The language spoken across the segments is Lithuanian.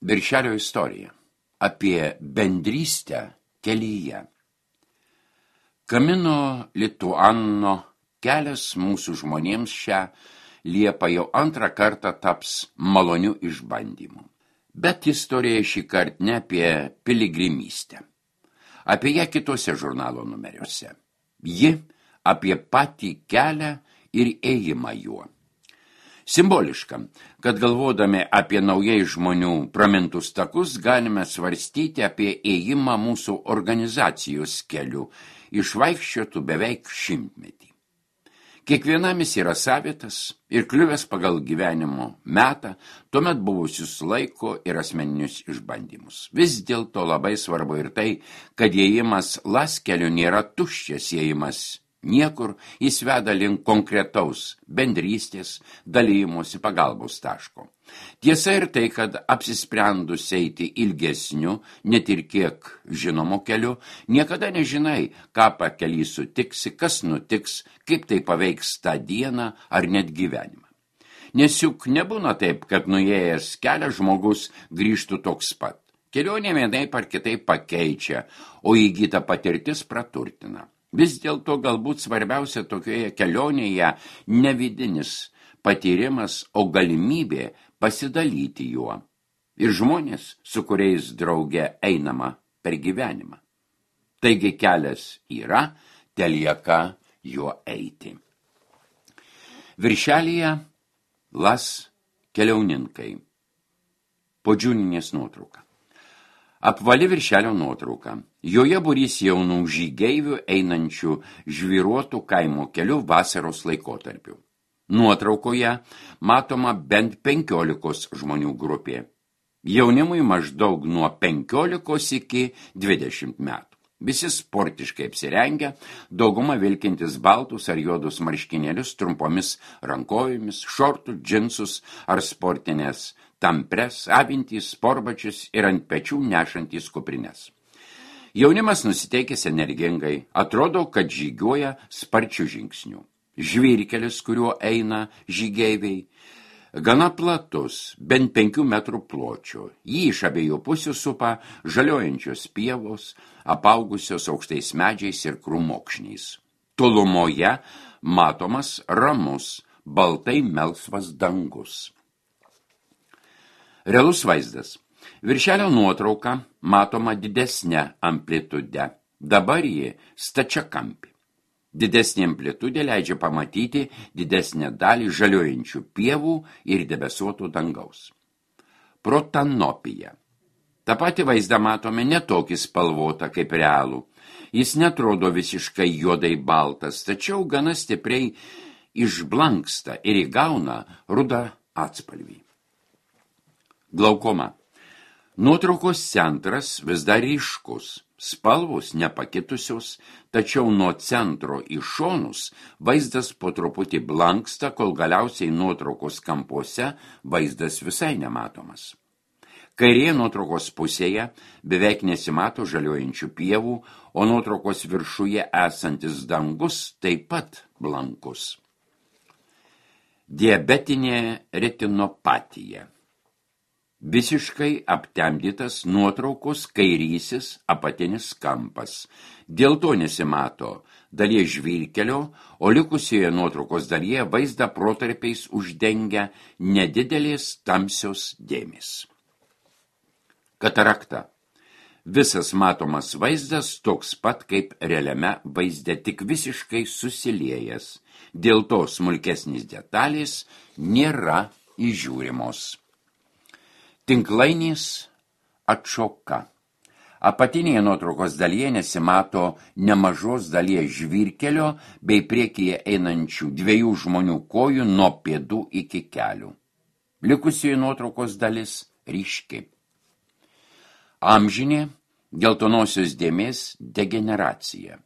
Viršelio istorija apie bendrystę kelyje. Kamino Lituano kelias mūsų žmonėms šią Liepą jau antrą kartą taps maloniu išbandymu. Bet istorija šį kartą ne apie piligrimystę. Apie ją kitose žurnalo numeriuose. Ji apie patį kelią ir ėjimą juo. Simboliška, kad galvodami apie naujai žmonių pramintus takus, galime svarstyti apie ėjimą mūsų organizacijos keliu, išvaikščiotų beveik 100 metį. Kiekvienam jis yra savitas ir kliuvęs pagal gyvenimo metą, tuomet buvusius laiko ir asmeninius išbandymus. Vis dėlto labai svarbu ir tai, kad ėjimas laskeliu nėra tuščias ėjimas. Niekur jis veda link konkretaus bendrystės, dalymosi pagalbos taško. Tiesa ir tai, kad apsisprendus eiti ilgesniu, net ir kiek žinomo keliu, niekada nežinai, ką pakely sutiksi, kas nutiks, kaip tai paveiks tą dieną ar net gyvenimą. Nes juk nebūna taip, kad nuėjęs kelią žmogus grįžtų toks pat. Kelionė vienaip ar kitaip pakeičia, o įgyta patirtis praturtina. Vis dėlto galbūt svarbiausia tokioje kelionėje ne vidinis patyrimas, o galimybė pasidalyti juo. Ir žmonės, su kuriais drauge einama per gyvenimą. Taigi kelias yra, telieka juo eiti. Viršelyje Las keliauninkai. Podžiūninės nuotrauka. Apvali viršelio nuotrauka. Joje būrys jaunų žygeivių einančių žvyruotų kaimo keliu vasaros laikotarpiu. Nuotraukoje matoma bent 15 žmonių grupė. Jaunimui maždaug nuo 15 iki 20 metų. Visi sportiškai apsirengę, dauguma vilkintis baltus ar juodus marškinėlius trumpomis rankovėmis, šortų, džinsus ar sportinės tampres, avintys, sportbačius ir ant pečių nešantys kuprines. Jaunimas nusiteikęs energingai, atrodo, kad žygiuoja sparčių žingsnių. Žvyrkelis, kuriuo eina žygeiviai, gana platus, bent 5 metrų pločio. Jį iš abiejų pusių supa žaliojančios pievos, apaugusios aukštais medžiais ir krūmokšniais. Tolumoje matomas ramus, baltai melsvas dangus. Realus vaizdas. Viršelio nuotrauka matoma didesnė amplitude. Dabar ji stačiakampė. Didesnė amplitudė leidžia pamatyti didesnę dalį žaliojančių pievų ir debesuotų dangaus. Protanopija. Ta pati vaizdą matome netokį spalvotą kaip realų. Jis netrodo visiškai juodai baltas, tačiau gana stipriai išblanksta ir įgauna rudą atspalvį. Glaukoma. Nuotraukos centras vis dar ryškus, spalvos nepakitusios, tačiau nuo centro į šonus vaizdas po truputį blanksta, kol galiausiai nuotraukos kampuose vaizdas visai nematomas. Kairėje nuotraukos pusėje beveik nesimato žaliojančių pievų, o nuotraukos viršuje esantis dangus taip pat blankus. Diabetinė retinopatija. Visiškai aptemdytas nuotraukos kairysis apatinis kampas. Dėl to nesimato dalies žvyrkelio, o likusioje nuotraukos dalyje vaizdą protarpiais uždengia nedidelės tamsios dėmės. Katarakta. Visas matomas vaizdas toks pat kaip realiame vaizde, tik visiškai susiliejęs. Dėl to smulkesnės detalės nėra įžiūrimos. Tinklainės atšoka. Apatinėje nuotraukos dalyje nesimato nemažos dalies žvyrkelio bei priekyje einančių 2 žmonių kojų nuo pėdų iki kelių. Likusioje nuotraukos dalis ryški. Amžinė geltonosios dėmės degeneracija.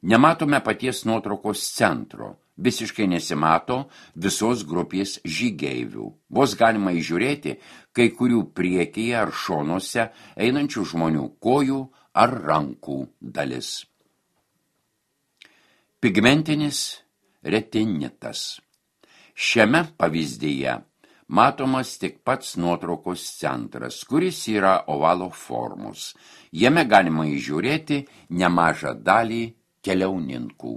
Nematome paties nuotraukos centro. Visiškai nesimato visos grupės žygeivių. Vos galima įžiūrėti kai kurių priekyje ar šonuose einančių žmonių kojų ar rankų dalis. Pigmentinis retinitas. Šiame pavyzdyje matomas tik pats nuotraukos centras, kuris yra ovalo formos. Jame galima įžiūrėti nemažą dalį keliauninkų.